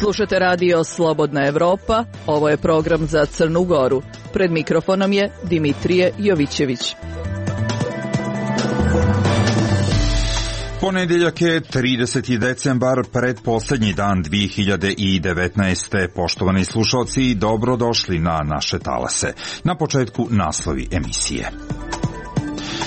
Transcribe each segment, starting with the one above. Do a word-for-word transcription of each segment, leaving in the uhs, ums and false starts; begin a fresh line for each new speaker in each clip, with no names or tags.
Slušate radio Slobodna Evropa, ovo je program za Crnu Goru. Pred mikrofonom je Dimitrije Jovićević.
Ponedjeljak je trideseti decembar, predposlednji dan dvije hiljade devetnaeste. Poštovani slušalci, dobrodošli na naše talase. Na početku naslovi emisije.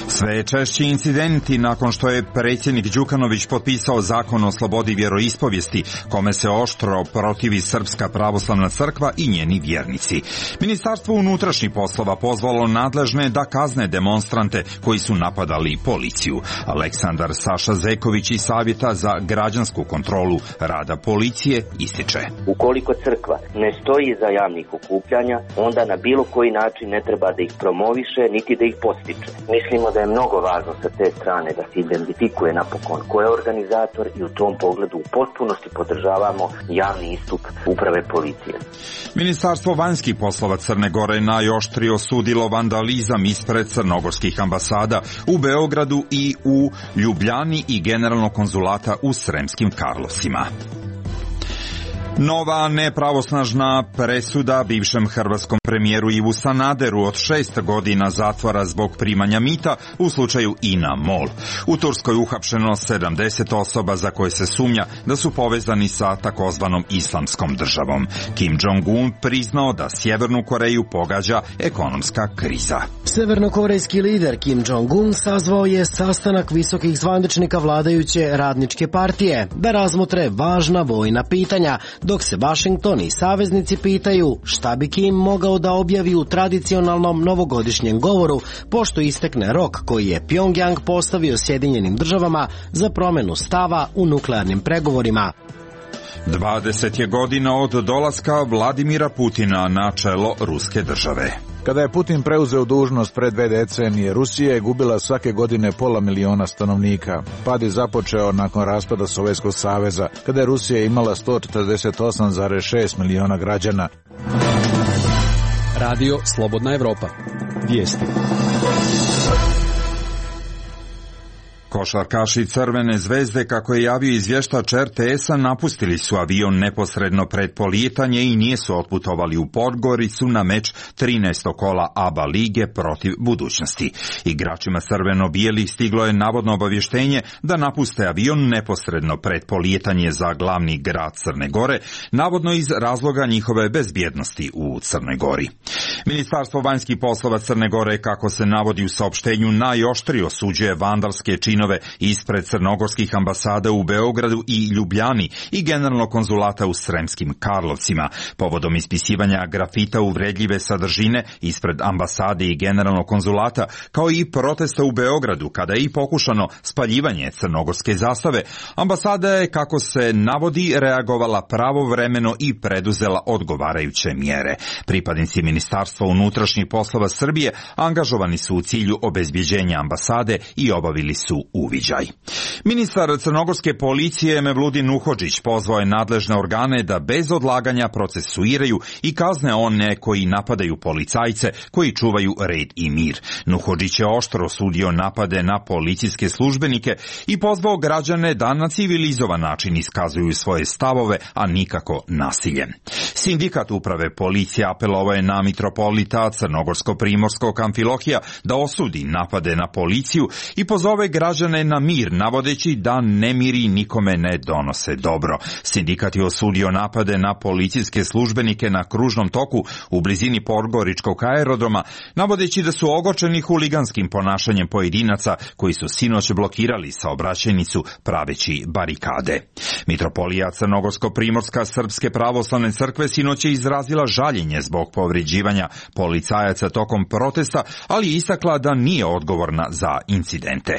Sve češći incidenti nakon što je predsjednik Đukanović potpisao zakon o slobodi vjeroispovijesti, kome se oštro protivi Srpska pravoslavna crkva i njeni vjernici. Ministarstvo unutrašnjih poslova pozvalo nadležne da kazne demonstrante koji su napadali policiju. Aleksandar Saša Zeković iz Savjeta za građansku kontrolu rada policije ističe:
ukoliko crkva ne stoji za javnih okupljanja, onda na bilo koji način ne treba da ih promoviše niti da ih postiče. Mislimo da je mnogo važno sa te strane da se identifikuje napokon ko je organizator i u tom pogledu u potpunosti podržavamo javni istup uprave policije.
Ministarstvo vanjskih poslova Crne Gore najoštrije osudilo vandalizam ispred crnogorskih ambasada u Beogradu i u Ljubljani i generalnog konzulata u Sremskim Karlovcima. Nova nepravosnažna presuda bivšem hrvatskom premijeru Ivu Sanaderu od šest godina zatvora zbog primanja mita u slučaju INA MOL. U Turskoj uhapšeno sedamdeset osoba za koje se sumnja da su povezani sa takozvanom islamskom državom. Kim Jong-un priznao da Sjevernu Koreju pogađa ekonomska kriza.
Severnokorejski lider Kim Jong-un sazvao je sastanak visokih zvaničnika vladajuće radničke partije da razmotre važna vojna pitanja, dok se Washington i saveznici pitaju šta bi Kim mogao da objavi u tradicionalnom novogodišnjem govoru, pošto istekne rok koji je Pjongjang postavio Sjedinjenim državama za promjenu stava u nuklearnim pregovorima.
dvadeset je godina od dolaska Vladimira Putina na čelo ruske države.
Kada je Putin preuzeo dužnost pred dve decenije, Rusija je gubila svake godine pola miliona stanovnika. Pad je započeo nakon raspada Sovjetskog saveza, kada je Rusija imala sto četrdeset osam zarez šest miliona građana.
Radio Slobodna Evropa. Vijesti.
Košarkaši Crvene zvezde, kako je javio izvještač er te esa, napustili su avion neposredno pred polijetanje i nisu otputovali u Podgoricu na meč trinaestog kola A B A lige protiv Budućnosti. Igračima crveno-bijelih stiglo je navodno obavještenje da napuste avion neposredno pred polijetanje za glavni grad Crne Gore, navodno iz razloga njihove bezbjednosti u Crnoj Gori. Ministarstvo vanjskih poslova Crne Gore, kako se navodi u saopštenju, najoštrije osuđuje vandalske činove ispred crnogorskih ambasada u Beogradu i Ljubljani i generalnog konzulata u Sremskim Karlovcima, povodom ispisivanja grafita uvredljive sadržine ispred ambasade i generalnog konzulata, kao i protesta u Beogradu kada je i pokušano spaljivanje crnogorske zastave. Ambasada je, kako se navodi, reagovala pravovremeno i preduzela odgovarajuće mjere. Pripadnici Ministarstva unutrašnjih poslova Srbije angažovani su u cilju obezbjeđenja ambasade i obavili su uviđaj. Ministar crnogorske policije Mevludin Nuhodžić pozvao je nadležne organe da bez odlaganja procesuiraju i kazne one koji napadaju policajce koji čuvaju red i mir. Nuhodžić je oštro osudio napade na policijske službenike i pozvao građane da na civilizovan način iskazuju svoje stavove, a nikako nasiljem. Sindikat uprave policije apelovao je na mitropolita Crnogorsko-Primorskog Amfilohija da osudi napade na policiju i pozove građane na mir, navodeći da nemiri nikome ne donose dobro. Sindikat je osudio napade na policijske službenike na kružnom toku u blizini Podgoričkog aerodroma, navodeći da su ogorčeni huliganskim ponašanjem pojedinaca koji su sinoć blokirali saobraćajnicu praveći barikade. Mitropolija Crnogorsko-Primorska Srpske pravoslavne crkve sinoć je izrazila žaljenje zbog povređivanja policajaca tokom protesta, ali je istakla da nije odgovorna za incidente.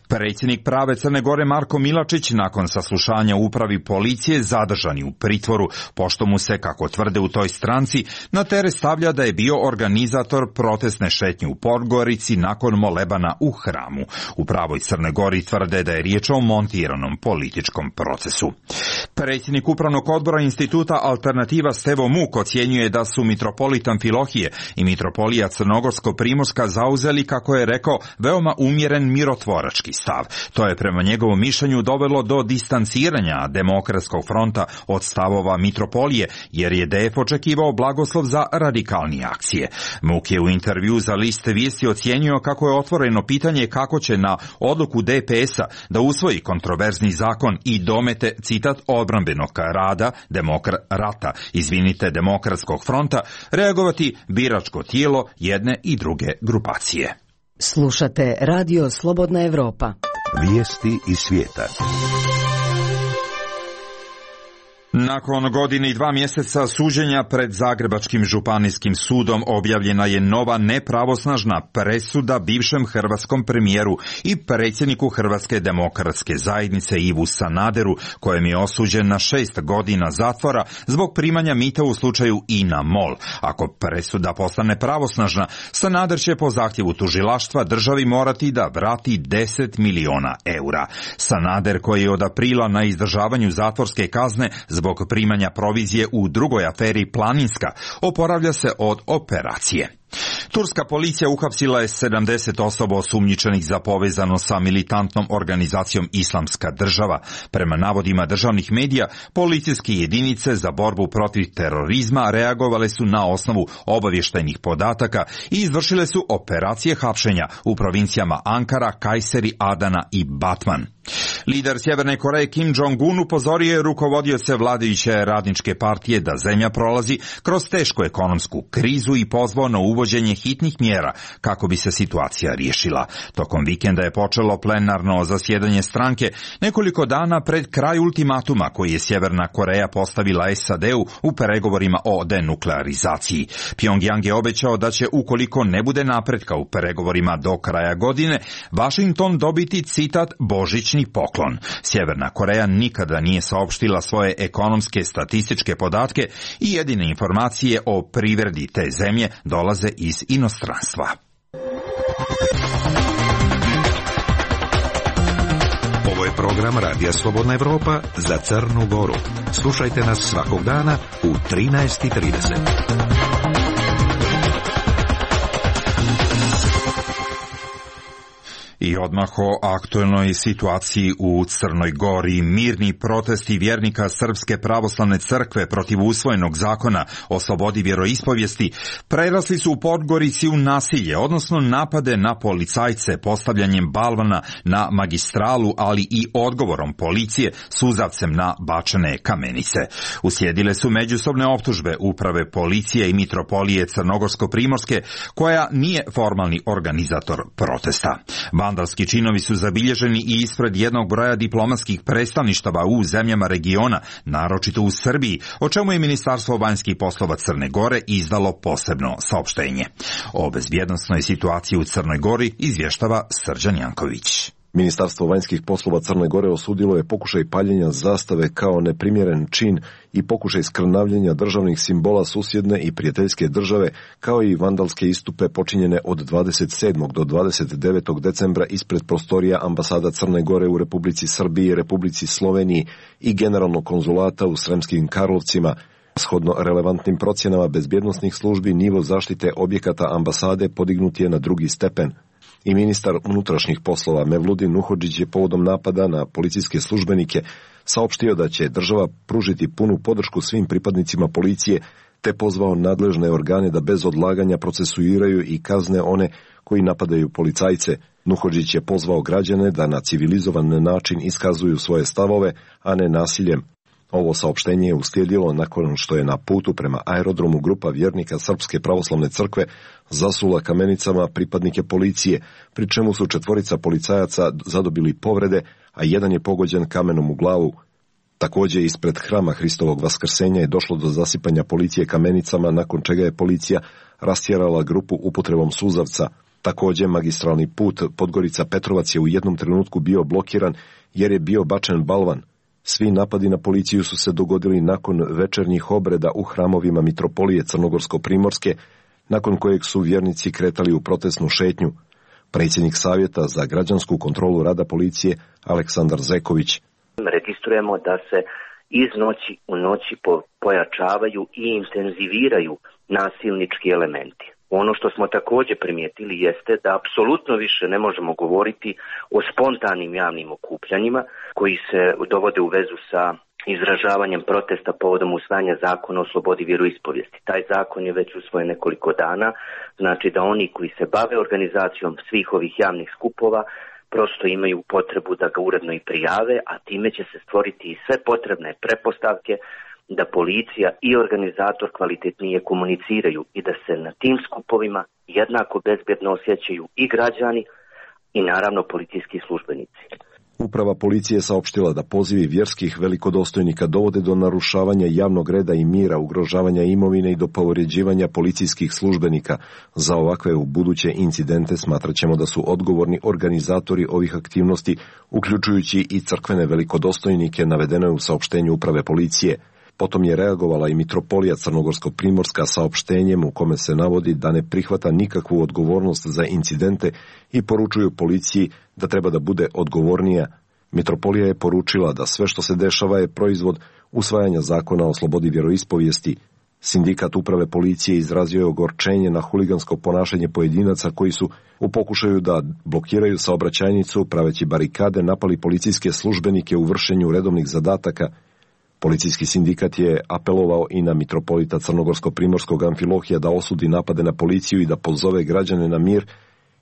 Predsjednik prave Crne Gore Marko Milačić nakon saslušanja u upravi policije zadržan je u pritvoru, pošto mu se, kako tvrde u toj stranci, na teret stavlja da je bio organizator protestne šetnje u Podgorici nakon molebana u hramu. U pravoj Crne Gori tvrde da je riječ o montiranom političkom procesu. Predsjednik upravnog odbora instituta Alternativa Stevo Muk ocjenjuje da su mitropolit Amfilohije i mitropolija Crnogorsko-Primorska zauzeli, kako je rekao, veoma umjeren mirotvorački stav. To je prema njegovom mišljenju dovelo do distanciranja Demokratskog fronta od stavova mitropolije, jer je D F očekivao blagoslov za radikalnije akcije. Muk je u intervju za list Vijesti ocijenio kako je otvoreno pitanje kako će na odluku D P S-a da usvoji kontroverzni zakon i domete, citat, odbrambenog rada, demokra, rata, izvinite, Demokratskog fronta, reagovati biračko tijelo jedne i druge grupacije.
Slušate Radio Slobodna Evropa.
Vijesti iz svijeta.
Nakon godine i dva mjeseca suđenja pred Zagrebačkim županijskim sudom objavljena je nova nepravosnažna presuda bivšem hrvatskom premijeru i predsjedniku Hrvatske demokratske zajednice Ivu Sanaderu, kojem je osuđen na šest godina zatvora zbog primanja mita u slučaju I N A MOL. Ako presuda postane pravosnažna, Sanader će po zahtjevu tužilaštva državi morati da vrati deset miliona eura. Sanader, koji je od aprila na izdržavanju zatvorske kazne zbog zbog primanja provizije u drugoj aferi Planinska, oporavlja se od operacije. Turska policija uhapsila je sedamdeset osoba osumnjičenih za povezano sa militantnom organizacijom Islamska država. Prema navodima državnih medija, policijske jedinice za borbu protiv terorizma reagovale su na osnovu obavještajnih podataka i izvršile su operacije hapšenja u provincijama Ankara, Kajseri, Adana i Batman. Lider Sjeverne Koreje Kim Jong-un upozorio je rukovodioce vladajuće radničke partije da zemlja prolazi kroz tešku ekonomsku krizu i pozvao na uvođenje hitnih mjera kako bi se situacija riješila. Tokom vikenda je počelo plenarno zasjedanje stranke nekoliko dana pred kraj ultimatuma koji je Sjeverna Koreja postavila S A D-u u pregovorima o denuklearizaciji. Pyongyang je obećao da će, ukoliko ne bude napretka u pregovorima do kraja godine, Washington dobiti, citat, božićni poklon. Sjeverna Koreja nikada nije saopštila svoje ekonomske statističke podatke i jedine informacije o privredi te zemlje dolaze iz inostranstva.
Ovo je program Radija Slobodna Evropa za Crnu Goru. Slušajte nas svakog dana u trinaest i trideset.
I odmah o aktuelnoj situaciji u Crnoj Gori. Mirni protesti vjernika Srpske pravoslavne crkve protiv usvojenog zakona o slobodi vjeroispovijesti prerasli su u Podgorici u nasilje, odnosno napade na policajce postavljanjem balvana na magistralu, ali i odgovorom policije suzavcem na bačene kamenice. Uslijedile su međusobne optužbe uprave policije i mitropolije Crnogorsko-Primorske, koja nije formalni organizator protesta. Vandalski činovi su zabilježeni i ispred jednog broja diplomatskih predstavništava u zemljama regiona, naročito u Srbiji, o čemu je Ministarstvo vanjskih poslova Crne Gore izdalo posebno saopštenje. O bezbjednosnoj situaciji u Crnoj Gori izvještava Srđan Janković.
Ministarstvo vanjskih poslova Crne Gore osudilo je pokušaj paljenja zastave kao neprimjeren čin i pokušaj skrnavljenja državnih simbola susjedne i prijateljske države, kao i vandalske istupe počinjene od dvadeset sedmog do dvadeset devetog decembra ispred prostorija ambasada Crne Gore u Republici Srbiji, Republici Sloveniji i generalnog konzulata u Sremskim Karlovcima. Shodno relevantnim procjenama bezbjednosnih službi, nivo zaštite objekata ambasade podignut je na drugi stepen. I ministar unutrašnjih poslova Mevludin Nuhodžić je povodom napada na policijske službenike saopštio da će država pružiti punu podršku svim pripadnicima policije, te pozvao nadležne organe da bez odlaganja procesuiraju i kazne one koji napadaju policajce. Nuhodžić je pozvao građane da na civilizovan način iskazuju svoje stavove, a ne nasiljem. Ovo saopštenje je uslijedilo nakon što je na putu prema aerodromu grupa vjernika Srpske pravoslavne crkve zasula kamenicama pripadnike policije, pri čemu su četvorica policajaca zadobili povrede, a jedan je pogođen kamenom u glavu. Također ispred hrama Hristovog vaskrsenja je došlo do zasipanja policije kamenicama, nakon čega je policija rastjerala grupu upotrebom suzavca. Također magistralni put Podgorica-Petrovac je u jednom trenutku bio blokiran jer je bio bačen balvan. Svi napadi na policiju su se dogodili nakon večernjih obreda u hramovima mitropolije Crnogorsko-Primorske, nakon kojeg su vjernici kretali u protestnu šetnju. Predsjednik Savjeta za građansku kontrolu rada policije Aleksandar Zeković.
Registrujemo da se iz noći u noći pojačavaju i intenziviraju nasilnički elementi. Ono što smo također primijetili jeste da apsolutno više ne možemo govoriti o spontanim javnim okupljanjima koji se dovode u vezu sa izražavanjem protesta povodom usvajanja zakona o slobodi vjeroispovijesti. Taj zakon je već usvojen nekoliko dana, znači da oni koji se bave organizacijom svih ovih javnih skupova prosto imaju potrebu da ga uredno i prijave, a time će se stvoriti i sve potrebne pretpostavke da policija i organizator kvalitetnije komuniciraju i da se na tim skupovima jednako bezbjedno osjećaju i građani i naravno policijski službenici.
Uprava policije saopštila da pozivi vjerskih velikodostojnika dovode do narušavanja javnog reda i mira, ugrožavanja imovine i do povređivanja policijskih službenika. Za ovakve u buduće incidente smatraćemo da su odgovorni organizatori ovih aktivnosti, uključujući i crkvene velikodostojnike, navedeno je u saopštenju uprave policije. Potom je reagovala i mitropolija Crnogorsko-Primorska saopštenjem u kome se navodi da ne prihvata nikakvu odgovornost za incidente i poručuju policiji da treba da bude odgovornija. Mitropolija je poručila da sve što se dešava je proizvod usvajanja zakona o slobodi vjeroispovijesti. Sindikat uprave policije izrazio je ogorčenje na huligansko ponašanje pojedinaca koji su u pokušaju da blokiraju saobraćajnicu, praveći barikade, napali policijske službenike u vršenju redovnih zadataka. Policijski sindikat je apelovao i na mitropolita Crnogorsko-Primorskog Amfilohija da osudi napade na policiju i da pozove građane na mir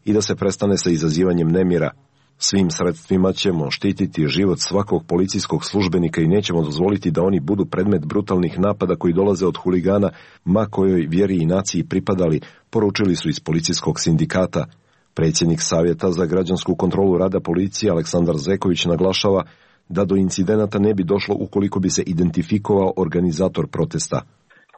i da se prestane sa izazivanjem nemira. Svim sredstvima ćemo štititi život svakog policijskog službenika i nećemo dozvoliti da oni budu predmet brutalnih napada koji dolaze od huligana, ma kojoj vjeri i naciji pripadali, poručili su iz policijskog sindikata. Predsjednik Savjeta za građansku kontrolu rada policije Aleksandar Zeković naglašava da do incidenata ne bi došlo ukoliko bi se identifikovao organizator protesta.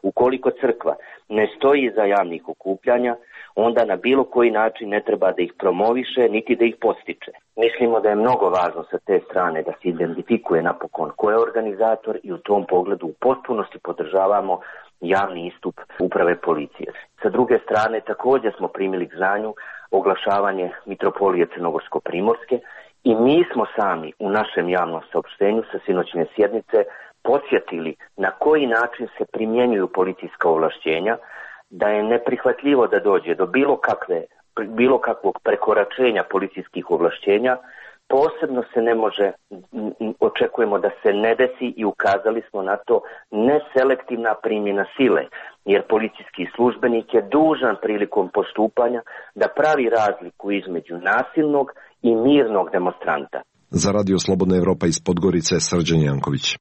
Ukoliko crkva ne stoji iza javnih okupljanja, onda na bilo koji način ne treba da ih promoviše, niti da ih postiče. Mislimo da je mnogo važno sa te strane da se identifikuje napokon ko je organizator i u tom pogledu u potpunosti podržavamo javni istup uprave policije. Sa druge strane, također smo primili k znanju oglašavanje mitropolije Crnogorsko-Primorske i mi smo sami u našem javnom saopštenju sa sinoćne sjednice podsjetili na koji način se primjenjuju policijska ovlašćenja, da je neprihvatljivo da dođe do bilo kakve, bilo kakvog prekoračenja policijskih ovlašćenja, posebno se ne može, očekujemo da se ne desi i ukazali smo na to neselektivna primjena sile, jer policijski službenik je dužan prilikom postupanja da pravi razliku između nasilnog i mirnog demonstranta.
Za Radio Slobodna Evropa iz Podgorice, Srđan Janković.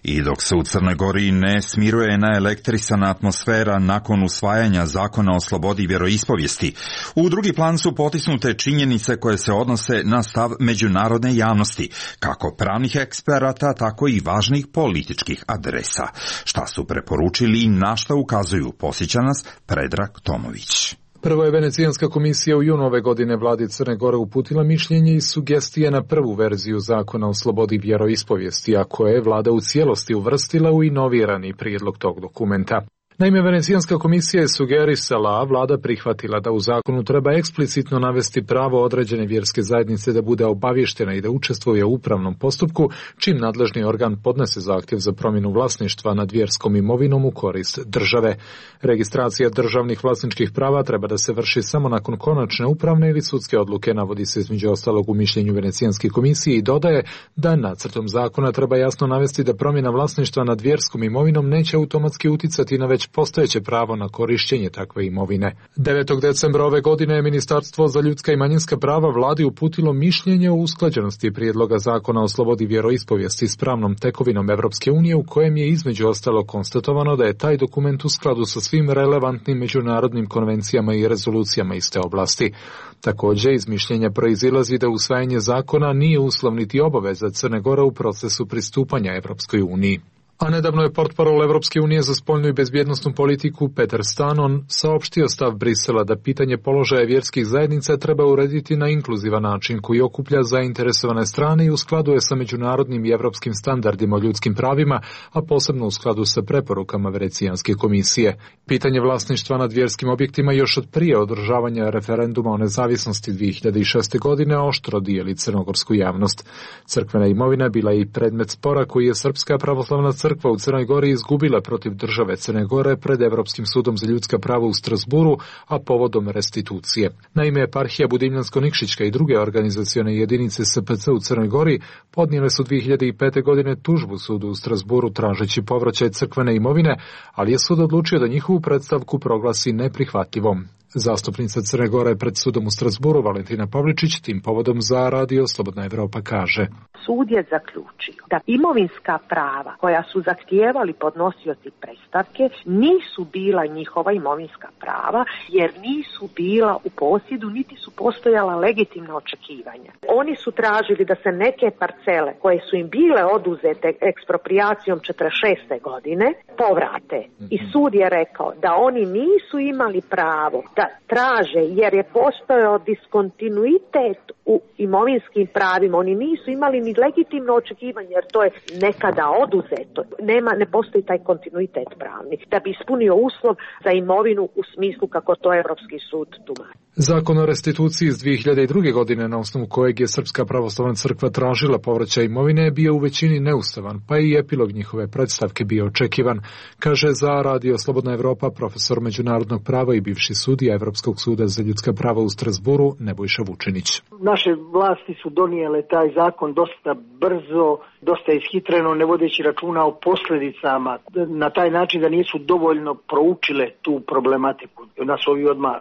I dok se u Crnoj Gori ne smiruje naelektrisana atmosfera nakon usvajanja zakona o slobodi vjeroispovijesti, u drugi plan su potisnute činjenice koje se odnose na stav međunarodne javnosti, kako pravnih eksperata, tako i važnih političkih adresa. Šta su preporučili i na šta ukazuju, posjeća nas Predrag Tomović.
Prvo je Venecijanska komisija u junu ove godine vladi Crne Gore uputila mišljenje i sugestije na prvu verziju zakona o slobodi vjeroispovijesti, a koje je vlada u cijelosti uvrstila u inovirani prijedlog tog dokumenta. Naime, Venecijanska komisija je sugerisala, a vlada prihvatila da u zakonu treba eksplicitno navesti pravo određene vjerske zajednice da bude obavještena i da učestvuje u upravnom postupku, čim nadležni organ podnese zahtjev za promjenu vlasništva nad vjerskom imovinom u korist države. Registracija državnih vlasničkih prava treba da se vrši samo nakon konačne upravne ili sudske odluke, navodi se između ostalog u mišljenju Venecijanske komisije i dodaje da nacrtom zakona treba jasno navesti da promjena vlasništva nad vjerskom imovinom neće automatski uticati na već postojeće pravo na korištenje takve imovine. devetog decembra ove godine je Ministarstvo za ljudska i manjinska prava vladi uputilo mišljenje o usklađenosti prijedloga zakona o slobodi vjeroispovijesti s pravnom tekovinom Evropske unije, u kojem je između ostalo konstatovano da je taj dokument u skladu sa svim relevantnim međunarodnim konvencijama i rezolucijama iz te oblasti. Također, iz mišljenja proizilazi da usvajanje zakona nije uslov niti obaveza Crne Gore u procesu pristupanja Evropskoj uniji. A nedavno je portparol Evropske unije za spoljnu i bezbjednosnu politiku Peter Stanon saopštio stav Brisela da pitanje položaja vjerskih zajednica treba urediti na inkluzivan način koji okuplja zainteresovane strane i u skladu je sa međunarodnim i evropskim standardima o ljudskim pravima, a posebno u skladu sa preporukama Venecijanske komisije. Pitanje vlasništva nad vjerskim objektima još od prije održavanja referenduma o nezavisnosti dvije hiljade šeste. godine oštro dijeli crnogorsku javnost. Crkvena imovina bila je i predmet spora koji je Srpska pravoslavna crkva crkva u Crnoj Gori izgubila protiv države Crne Gore pred Evropskim sudom za ljudska prava u Strasburu, a povodom restitucije. Naime, eparhija Budimljansko-Nikšićka i druge organizacione jedinice S P C u Crnoj Gori podnijele su dvije hiljade pete. godine tužbu sudu u Strasburu tražeći povraćaj crkvene imovine, ali je sud odlučio da njihovu predstavku proglasi neprihvatljivom. Zastupnica Crne Gore pred sudom u Strasburu Valentina Pavličić tim povodom za Radio Slobodna Evropa kaže:
Sud je zaključio da imovinska prava koja su zahtijevali podnosioci predstavke nisu bila njihova imovinska prava jer nisu bila u posjedu niti su postojala legitimna očekivanja. Oni su tražili da se neke parcele koje su im bile oduzete ekspropriacijom četrdeset šeste. godine povrate. I sud je rekao da oni nisu imali pravo da traže jer je postojao diskontinuitet u imovinskim pravima. Oni nisu imali ni legitimno očekivanje jer to je nekada oduzeto. Nema, ne postoji taj kontinuitet pravni da bi ispunio uslov za imovinu u smislu kako to Evropski sud tumači.
Zakon o restituciji iz dvije hiljade druge. godine na osnovu kojeg je Srpska pravoslavna crkva tražila povraćaj imovine je bio u većini neustavan, pa i epilog njihove predstavke bio očekivan, kaže za Radio Slobodna Evropa profesor međunarodnog prava i bivši sudija Evropskog suda za ljudska prava u Strasburu Nebojša Vučinić.
Naše vlasti su donijele taj zakon dosta brzo, dosta ishitreno, ne vodeći računa o posljedicama, na taj način da nisu dovoljno proučile tu problematiku. Nas ovi odmah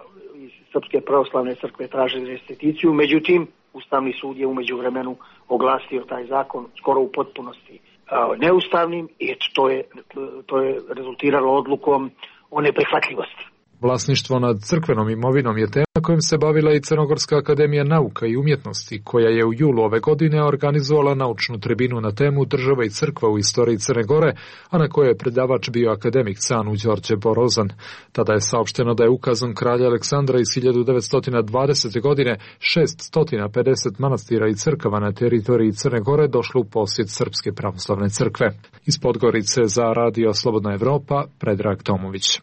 iz Srpske pravoslavne crkve traže restituciju, međutim Ustavni sud je u međuvremenu oglasio taj zakon skoro u potpunosti neustavnim i to je, to je rezultiralo odlukom o neprihvatljivosti.
Vlasništvo nad crkvenom imovinom je tema kojim se bavila i Crnogorska akademija nauka i umjetnosti, koja je u julu ove godine organizovala naučnu tribinu na temu Država i crkva u istoriji Crne Gore, a na kojoj je predavač bio akademik Canu Đorđe Borozan. Tada je saopšteno da je ukazom kralja Aleksandra iz hiljadu devetsto dvadesete. godine šeststo pedeset manastira i crkava na teritoriji Crne Gore došlo u posjed Srpske pravoslavne crkve. Iz Podgorice za Radio Slobodna Evropa, Predrag Tomović.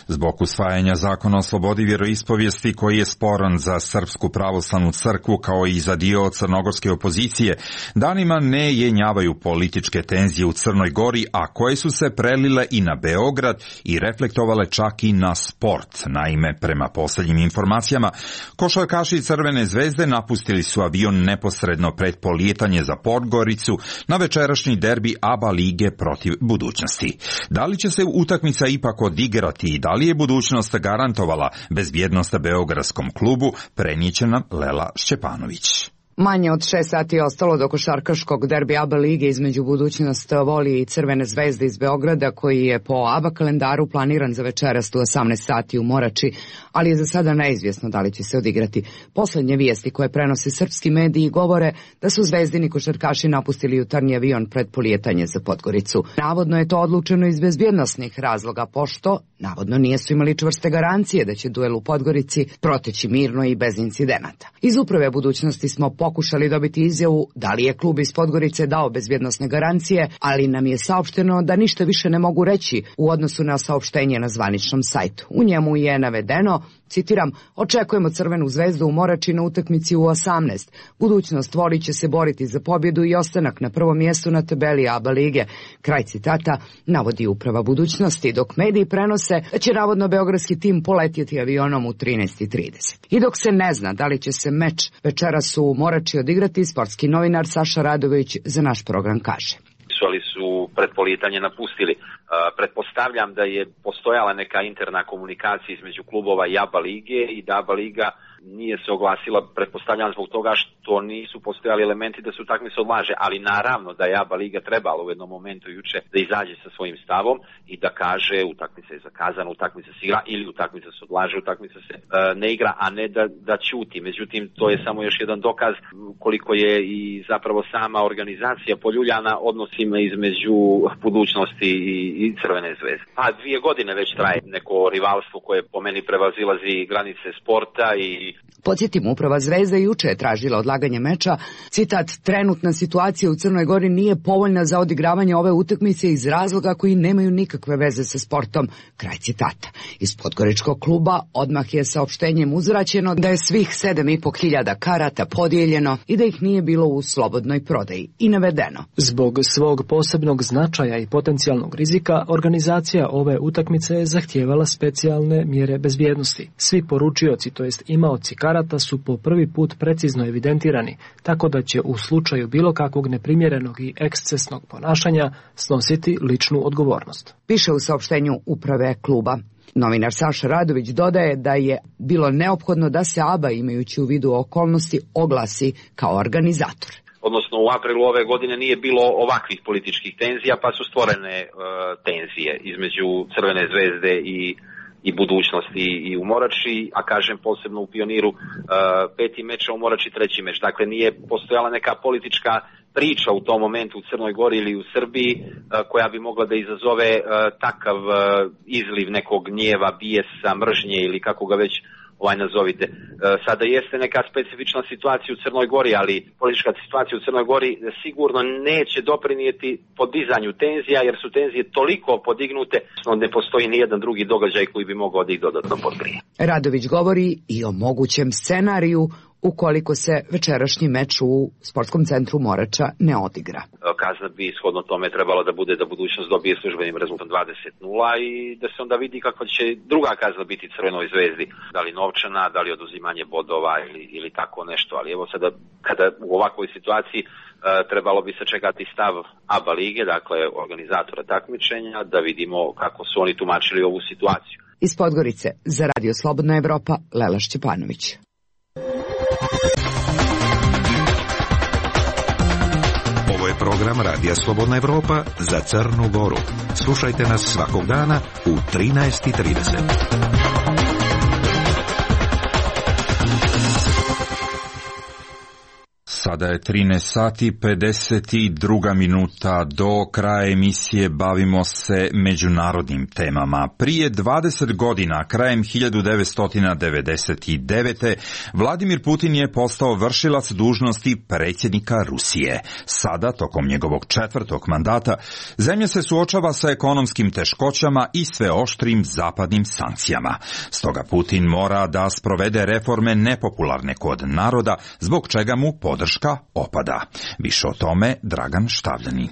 Zbog usvajanja zakona o slobodi vjeroispovijesti koji je sporan za Srpsku pravoslavnu crkvu kao i za dio crnogorske opozicije, danima ne jenjavaju političke tenzije u Crnoj Gori, a koje su se prelile i na Beograd i reflektovale čak i na sport. Naime, prema posljednjim informacijama, košarkaši Crvene zvezde napustili su avion neposredno pred polijetanje za Podgoricu na večerašnji derbi A B A lige protiv Budućnosti. Da li će se utakmica ipak odigrati i da li je budućnost garantovala bezbjednost beogradskom klubu, prenijeće nam Lela Šćepanović.
Manje od šest sati je ostalo do košarkaškog derbi A B A lige između Budućnost Volije i Crvene zvezde iz Beograda, koji je po A B A kalendaru planiran za večeras u osamnaest sati u Morači, ali je za sada neizvjesno da li će se odigrati. Posljednje vijesti koje prenose srpski mediji govore da su zvezdini košarkaši napustili jutarnji avion pred polijetanje za Podgoricu. Navodno je to odlučeno iz bezbjednosnih razloga, pošto navodno nisu imali čvrste garancije da će duel u Podgorici proteći mirno i bez incidenata. Iz uprave Budućnosti smo pokušali dobiti izjavu da li je klub iz Podgorice dao bezbjednosne garancije, ali nam je saopšteno da ništa više ne mogu reći u odnosu na saopštenje na zvaničnom sajtu. U njemu je navedeno, citiram, očekujemo Crvenu zvezdu u Morači na utakmici u osamnaest. Budućnost Voli će se boriti za pobjedu i ostanak na prvom mjestu na tabeli A B A lige. Kraj citata navodi uprava Budućnosti, dok mediji prenose da će navodno beogradski tim poletjeti avionom u trinaest i trideset. I dok se ne zna da li će se meč večeras u Morači odigrati, sportski novinar Saša Radović za naš program kaže.
Ali su pred polijetanje napustili. Uh, pretpostavljam da je postojala neka interna komunikacija između klubova i A B A lige i da A B A liga nije se oglasila, pretpostavljam zbog toga što nisu postojali elementi da se utakmica odlaže, ali naravno da je A B A liga trebala u jednom momentu juče da izađe sa svojim stavom i da kaže utakmica je zakazana, utakmica se igra ili utakmica se odlaže, utakmica se uh, ne igra, a ne da, da ćuti. Međutim, to je samo još jedan dokaz koliko je i zapravo sama organizacija poljuljana odnosima između Budućnosti i, i Crvene zvezde. A dvije godine već traje neko rivalstvo koje po meni prevazilazi granice sporta i
Podsjetim, uprava Zvezda juče je tražila odlaganje meča. Citat, trenutna situacija u Crnoj Gori nije povoljna za odigravanje ove utakmice iz razloga koji nemaju nikakve veze sa sportom. Kraj citata. Iz podgoričkog kluba odmah je saopštenjem uzvraćeno da je svih sedam i po hiljada karata podijeljeno i da ih nije bilo u slobodnoj prodaji. I navedeno.
Zbog svog posebnog značaja i potencijalnog rizika, organizacija ove utakmice je zahtijevala specijalne mjere bezbjednosti. Svi poručioci, to jest imaoci karata, su po prvi put precizno evidentirani, tako da će u slučaju bilo kakvog neprimjerenog i ekscesnog ponašanja snositi ličnu odgovornost.
Piše u saopštenju uprave kluba. Novinar Saša Radović dodaje da je bilo neophodno da se A B A, imajući u vidu okolnosti, oglasi kao organizator.
Odnosno u aprilu ove godine nije bilo ovakvih političkih tenzija, pa su stvorene e, tenzije između Crvene zvezde i, i budućnosti i u Morači, a kažem posebno u Pioniru e, peti meč, a u Morači treći meč. Dakle, nije postojala neka politička priča u tom momentu u Crnoj Gori ili u Srbiji e, koja bi mogla da izazove e, takav e, izliv nekog gnjeva, bijesa, mržnje ili kako ga već ovaj nazovite. E, sada jeste neka specifična situacija u Crnoj Gori, ali politička situacija u Crnoj Gori sigurno neće doprinijeti podizanju tenzija, jer su tenzije toliko podignute, no ne postoji ni jedan drugi događaj koji bi mogao da ih dodatno podgrije.
Radović govori i o mogućem scenariju ukoliko se večerašnji meč u sportskom centru Morača ne odigra.
Kazna bi ishodno tome trebala da bude da budućnost dobije službenim rezultatom dvadeset nula i da se onda vidi kakva će druga kazna biti Crvenoj zvezdi. Da li novčana, da li oduzimanje bodova ili, ili tako nešto. Ali evo sada, kada u ovakvoj situaciji e, trebalo bi sačekati stav A B A lige, dakle organizatora takmičenja, da vidimo kako su oni tumačili ovu situaciju.
Iz Podgorice za Radio Slobodna Evropa, Lela Šćepanović.
Ovo je program Radija Slobodna Evropa za Crnu Goru. Slušajte nas svakog dana u trinaest i trideset.
Sada je trinaest sati pedeset dva minuta. Do kraja emisije bavimo se međunarodnim temama. Prije dvadeset godina, krajem hiljadu devetsto devedeset devete. Vladimir Putin je postao vršilac dužnosti predsjednika Rusije. Sada, tokom njegovog četvrtog mandata, zemlja se suočava sa ekonomskim teškoćama i sve oštrim zapadnim sankcijama. Stoga Putin mora da sprovede reforme nepopularne kod naroda, zbog čega mu podrška opada. Više o tome Dragan Štavljanin.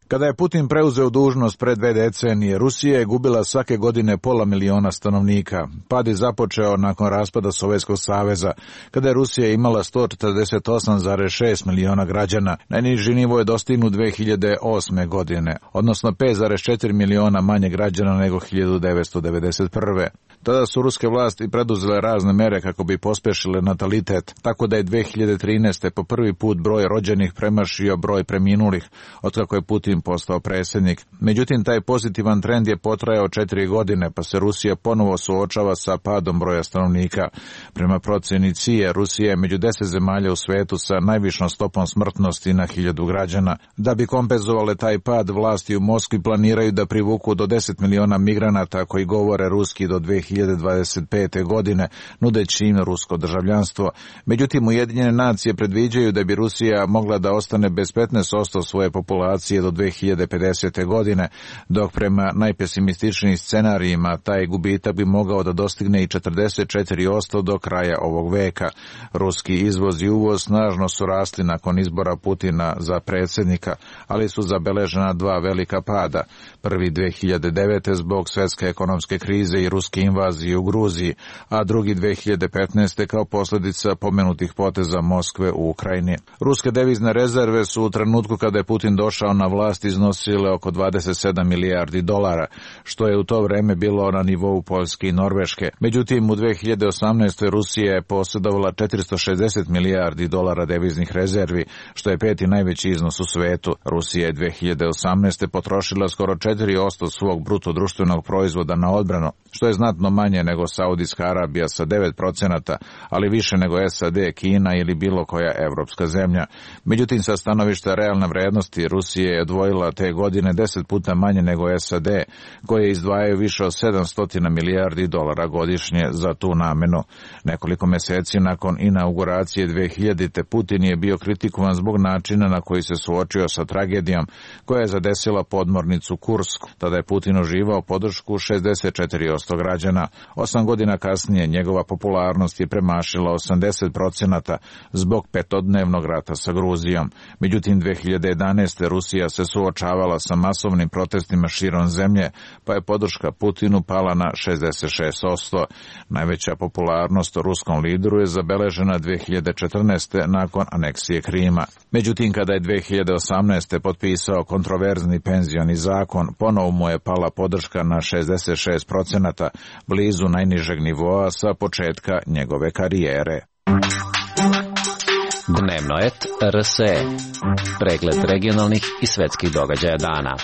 Kada je Putin preuzeo dužnost pred dve decenije, Rusija je gubila svake godine pola miliona stanovnika. Pad je započeo nakon raspada Sovjetskog saveza, kada je Rusija imala sto četrdeset osam zarez šest miliona građana. Najniži nivo je dostignut dve hiljade osme. godine, odnosno pet zarez četiri miliona manje građana nego hiljadu devetsto devedeset prve. Tada su ruske vlasti preduzele razne mere kako bi pospešile natalitet, tako da je dve hiljade trinaeste. po prvi put broj rođenih premašio broj preminulih, otkako je Putin postao predsjednik. Međutim, taj pozitivan trend je potrajao četiri godine, pa se Rusija ponovo suočava sa padom broja stanovnika. Prema procjeni C I E, Rusija je među deset zemalja u svetu sa najvišom stopom smrtnosti na hiljadu građana. Da bi kompenzovale taj pad, vlasti u Moskvi planiraju da privuku do deset miliona migranata koji govore ruski do dve hiljade dvadeset pete. godine, nudeći im rusko državljanstvo. Međutim, Ujedinjene nacije predviđaju da bi Rusija mogla da ostane bez petnaest posto svoje populacije do dve hiljade pedesete. godine, dok prema najpesimističnijim scenarijima taj gubitak bi mogao da dostigne i četrdeset četiri posto do kraja ovog veka. Ruski izvoz i uvoz snažno su rasli nakon izbora Putina za predsjednika, ali su zabeležena dva velika pada. Prvi dve hiljade devete. zbog svjetske ekonomske krize i ruske invazije u Gruziji, a drugi dve hiljade petnaeste. kao posljedica pomenutih poteza Moskve u Ukrajini. Ruske devizne rezerve su u trenutku kada je Putin došao na vlast iznosile oko dvadeset sedam milijardi dolara, što je u to vrijeme bilo na nivou Poljske i Norveške. Međutim, u dve hiljade osamnaestoj. Rusija je posjedovala četiristo šezdeset milijardi dolara deviznih rezervi, što je peti najveći iznos u svetu. Rusija je dve hiljade osamnaeste. potrošila skoro četiri posto svog bruto društvenog proizvoda na odbranu, što je znatno manje nego Saudijska Arabija sa devet procenata, ali više nego S A D, Kina ili bilo koja evropska zemlja. Međutim, sa stanovišta realne vrednosti, Rusija je odvojila te godine deset puta manje nego S A D, koje izdvajaju više od sedamsto milijardi dolara godišnje za tu namenu. Nekoliko mjeseci nakon inauguracije dve hiljadite. Putin je bio kritikovan zbog načina na koji se suočio sa tragedijom koja je zadesila podmornicu Kursku. Tada je Putin uživao podršku šezdeset četiri posto građana. godina. Osam godina kasnije njegova popularnost je premašila osamdeset procenata zbog petodnevnog rata sa Gruzijom. Međutim, dve hiljade jedanaeste. Rusija se suočavala sa masovnim protestima širom zemlje, pa je podrška Putinu pala na šezdeset šest posto. Najveća popularnost ruskom lideru je zabeležena dve hiljade četrnaeste. nakon aneksije Krima. Međutim, kada je dve hiljade osamnaeste. potpisao kontroverzni penzioni zakon, ponovo mu je pala podrška na šezdeset šest procenata, blizu najnižeg nivoa sa početka njegove karijere.
Dnevno et R S E. Pregled regionalnih i svetskih događaja dana.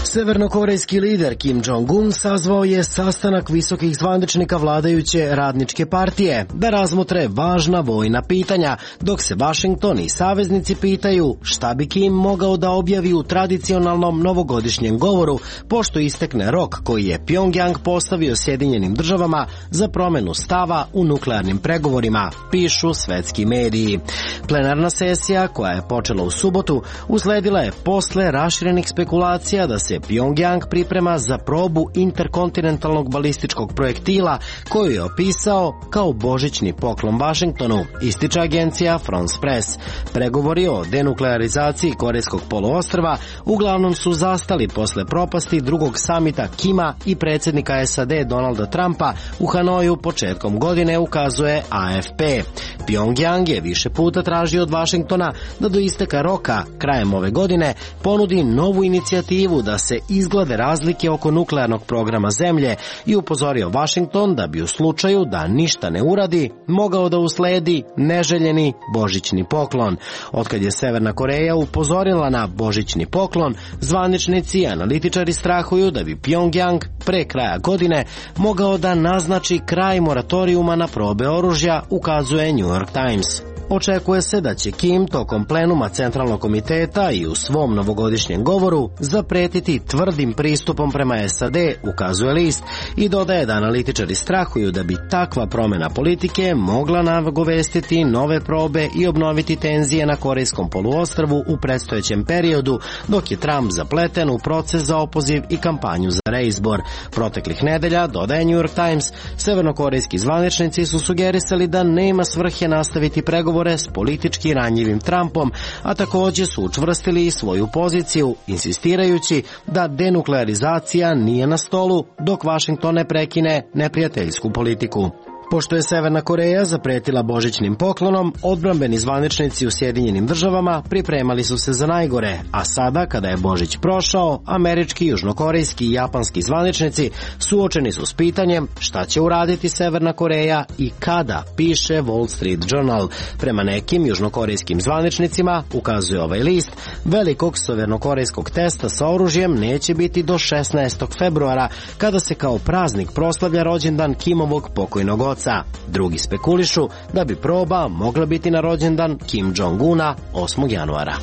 Severnokorejski lider Kim Jong-un sazvao je sastanak visokih zvaničnika vladajuće radničke partije da razmotre važna vojna pitanja, dok se Vašington i saveznici pitaju šta bi Kim mogao da objavi u tradicionalnom novogodišnjem govoru, pošto istekne rok koji je Pjongjang postavio Sjedinjenim državama za promenu stava u nuklearnim pregovorima, pišu svetski mediji. Plenarna sesija, koja je počela u subotu, usledila je posle raširenih spekulacija da se Pjongjang priprema za probu interkontinentalnog balističkog projektila koju je opisao kao božićni poklon Vašingtonu, ističe agencija France Press. Pregovori o denuklearizaciji Korejskog poluostrva uglavnom su zastali posle propasti drugog samita Kima i predsjednika S A D Donalda Trumpa u Hanoju početkom godine, ukazuje A F P. Pjongjang je više puta tražio od Vašingtona da do isteka roka, krajem ove godine, ponudi novu inicijativu da se izglede razlike oko nuklearnog programa zemlje i upozorio Vašington da bi u slučaju da ništa ne uradi mogao da usledi neželjeni božićni poklon. Otkad je Severna Koreja upozorila na božićni poklon, zvaničnici i analitičari strahuju da bi Pjongjang pre kraja godine mogao da naznači kraj moratorijuma na probe oružja, ukazuje New York Times. Očekuje se da će Kim tokom plenuma Centralnog komiteta i u svom novogodišnjem govoru zapretiti tvrdim pristupom prema S A D, ukazuje list, i dodaje da analitičari strahuju da bi takva promjena politike mogla nagovestiti nove probe i obnoviti tenzije na Korejskom poluostrvu u predstojećem periodu, dok je Trump zapleten u proces za opoziv i kampanju za reizbor. Proteklih nedelja, dodaje New York Times, severnokorejski zvaničnici su sugerisali da nema svrhe nastaviti pregovore s politički ranjivim Trumpom, a također su učvrstili i svoju poziciju, insistirajući da denuklearizacija nije na stolu dok Vašington ne prekine neprijateljsku politiku. Pošto je Severna Koreja zapretila božićnim poklonom, odbrambeni zvaničnici u Sjedinjenim državama pripremali su se za najgore, a sada, kada je Božić prošao, američki, južnokorejski i japanski zvaničnici suočeni su s pitanjem šta će uraditi Severna Koreja i kada, piše Wall Street Journal. Prema nekim južnokorejskim zvaničnicima, ukazuje ovaj list, velikog severnokorejskog testa sa oružjem neće biti do šesnaestog februara, kada se kao praznik proslavlja rođendan Kimovog pokojnog oca. Drugi spekulišu da bi proba mogla biti na rođendan Kim Jong-una osmog januara.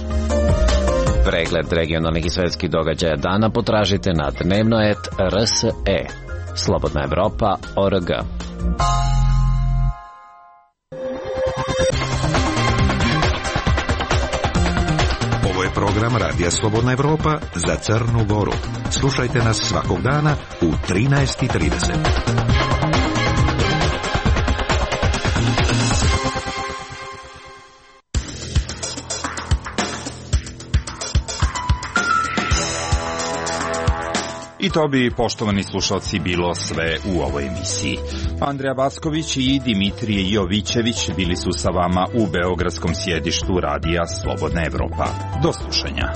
Pregled regionalnih i svetskih događaja dana potražite na dnevno et R S E. Slobodna Evropa O R G.
Ovo je program Radija Slobodna Evropa za Crnu Goru. Slušajte nas svakog dana u trinaest i trideset.
I to bi, poštovani slušalci, bilo sve u ovoj emisiji. Andreja Vasković i Dimitrije Jovićević bili su sa vama u beogradskom sjedištu Radija Slobodna Evropa. Do slušanja.